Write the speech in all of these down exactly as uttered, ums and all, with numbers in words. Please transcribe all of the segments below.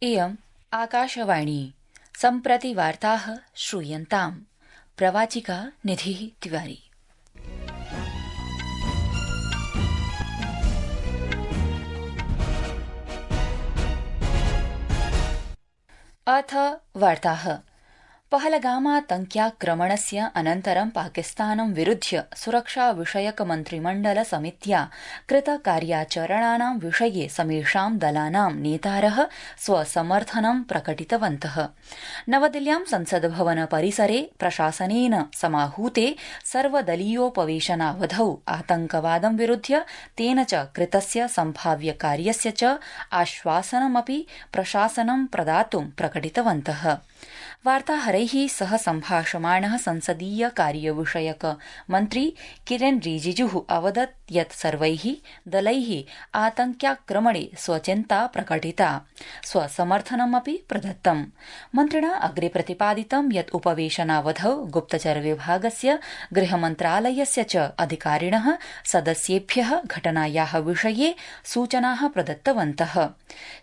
इयम् आकाशवाणी सम्प्रति वार्ताः श्रूयन्ताम्। प्रवाचिका निधिः तिवारी। अथ वार्ताः। पहलगामातङ्क्याक्रमणस्य अनन्तरं पाकिस्तानं विरुध्य सुरक्षा विषयक मन्त्रिमण्डल समित्या कृत कार्याचरणानां विषये समेषां दलानां नेतारः स्वसमर्थनं प्रकटितवन्तः। नवदिल्ल्यां संसद भवन परिसरे प्रशासनेन समाहूते सर्वदलीयोपवेशनावधौ आतंकवादं विरुध्य तेन च कृतस्य सम्भाव्य कार्यस्य च आश्वासनमपि प्रशासनं प्रदातुं प्रकटितवन्तः। वार्ताहरैः सह सम्भाषमाणः संसदीय कार्यविषयक मन्त्री किरेन रिजिजुः अवदत् यत् सर्वैः दलैः आतंक्याक्रमणे स्वचिन्ता प्रकटिता, स्वसमर्थनमपि प्रदत्तम्। मन्त्रिणा अग्रे प्रतिपादितं यत् उपवेशनावधौ गुप्तचर विभागस्य, गृहमन्त्रालयस्य च अधिकारिणः सदस्येभ्यः घटनायाः विषये सूचनाः प्रदत्तवन्तः।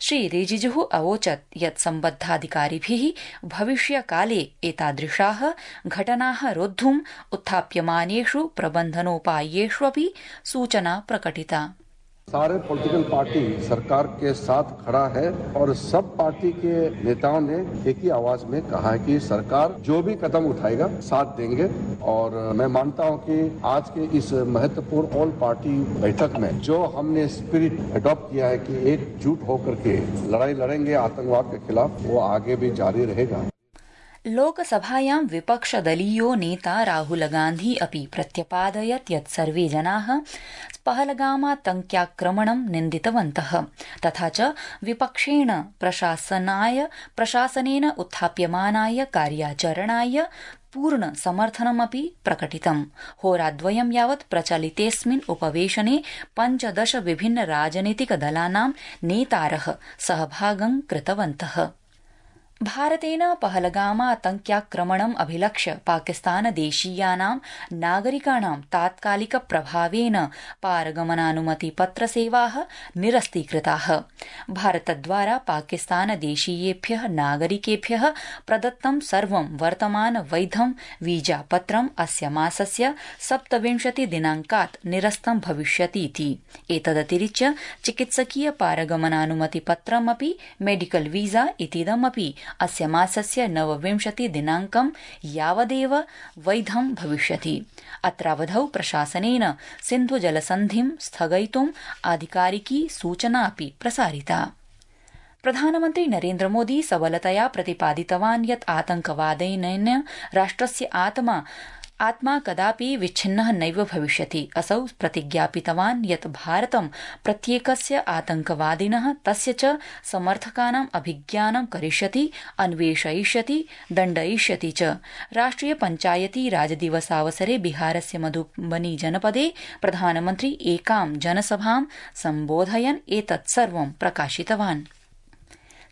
श्री रिजिजुः अवोचत् यत् सम्बद्धाधिकारिभिः भविष्यकाले एतादृशाः घटनाः रोद्धुम् उत्थाप्यमानेषु प्रबन्धनोपायेष्वपि सूचना प्रकटिता। सारे पॉलिटिकल पार्टी सरकार के साथ खड़ा है और सब पार्टी के नेताओं ने एक ही आवाज में कहा है कि सरकार जो भी कदम उठाएगा साथ देंगे। और मैं मानता हूं कि आज के इस महत्वपूर्ण ऑल पार्टी बैठक में जो हमने स्पिरिट अडॉप्ट किया है कि एकजुट होकर के लड़ाई लड़ेंगे आतंकवाद के खिलाफ, वो आगे भी जारी रहेगा। लोकसभायां विपक्षदलीयो नेता राहुल गांधी अपि प्रत्यपादयत् यत् सर्वे जनाः पहलगामातङ्क्याक्रमणं निन्दितवन्तः, तथा च विपक्षेण प्रशासनाय प्रशासनेन उत्थाप्यमानाय कार्याचरणाय पूर्ण समर्थनमपि प्रकटितम्। होराद्वयं यावत् प्रचलितेऽस्मिन् उपवेशने पञ्चदश विभिन्न राजनीतिक दलानां नेतारः सहभागं कृतवन्तः। भारतेन पहलगामातङ्क्याक्रमणम् अभिलक्ष्य पाकिस्तानदेशीयानां नागरिकाणां तात्कालिक प्रभावेन पारगमनानुमतिपत्रसेवाः निरस्तीकृताः। भारतद्वारा पाकिस्तानदेशीयेभ्यः नागरिकेभ्यः प्रदत्तं सर्वं वर्तमान वैधं वीजापत्रम् अस्य मासस्य सप्तविंशति दिनाङ्कात् निरस्तं भविष्यतीति। एतदतिरिच्य चिकित्सकीय पारगमनानुमतिपत्रमपि मेडिकल वीजा इतीदमपि अस्य मासस्य नवविंशति दिनाङ्कं यावदेव वैधं भविष्यति। अत्रावधौ प्रशासनेन सिन्धुजलसन्धिं स्थगयितुम् आधिकारिकी सूचनापि प्रसारिता। प्रधानमन्त्री नरेन्द्र मोदी सबलतया प्रतिपादितवान् यत् आतंकवादेन राष्ट्रस्य आत्मा आत्मा कदापि विच्छिन्नः नैव भविष्यति। असौ प्रतिज्ञापितवान् यत् भारतं प्रत्येकस्य आतंकवादिनः तस्य च समर्थकानाम् अभिज्ञानं करिष्यति, अन्वेषयिष्यति, दण्डयिष्यति च। राष्ट्रिय पञ्चायती राजदिवसावसरे बिहारस्य मधुबनी जनपदे प्रधानमन्त्री एकां जनसभां सम्बोधयन् एतत् सर्वं प्रकाशितवान्।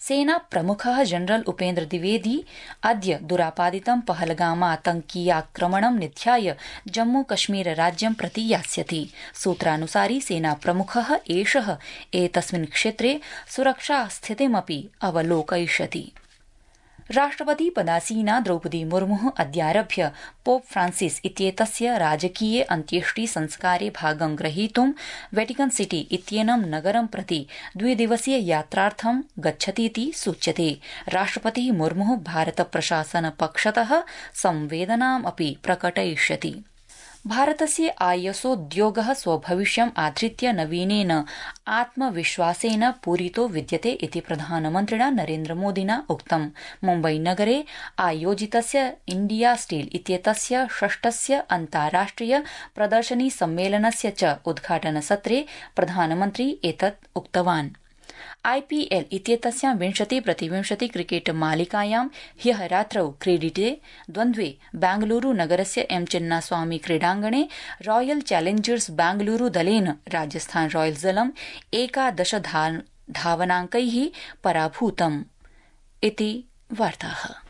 सेना प्रमुखः जनरल उपेन्द्र द्विवेदी अद्य दुरापादितं पहलगामातङ्कीयाक्रमणं निध्याय जम्मू कश्मीर राज्यं प्रति यास्यति। सूत्रानुसारि सेना प्रमुखः एषः एतस्मिन् क्षेत्रे सुरक्षा स्थितिमपि अवलोकयिष्यति। राष्ट्रपति पदासीना द्रौपदी मुर्मुः अद्यारभ्य पोप फ्रांसिस इत्येतस्य राजकीये अन्त्येष्टि संस्कारे भागं ग्रहीतुं वेटिकन सिटी इत्येनं नगरं प्रति द्विदिवसीय यात्रार्थं गच्छतीति सूच्यते। राष्ट्रपतिः मुर्मुः भारत प्रशासन पक्षतः संवेदनामपि प्रकटयिष्यति। भारतस्य आईएसओद्योगः स्वभविष्यम् आधृत्य नवीनेन आत्मविश्वासेन पूरितो विद्यते इति प्रधानमन्त्रिणा नरेन्द्र मोदिना उक्तम्। मुम्बईनगरे आयोजितस्य इंडिया स्टील इत्येतस्य षष्ठस्य अन्ताराष्ट्रिय प्रदर्शनी सम्मेलनस्य च उद्घाटनसत्रे प्रधानमन्त्री एतत् उक्तवान्। आईपीएल इत्येतस्यां विंशति प्रतिविंशति क्रिकेट मालिकायां ह्यः रात्रौ क्रीडिते द्वन्द्वे बेंगलुरू नगरस्य एम चिन्नास्वामी क्रीडाङ्गणे रॉयल चैलेंजर्स बेंगलुरू दलेन राजस्थान रॉयल्स दलम् एकादश धावनाङ्कैः पराभूतम् इति वार्ताः।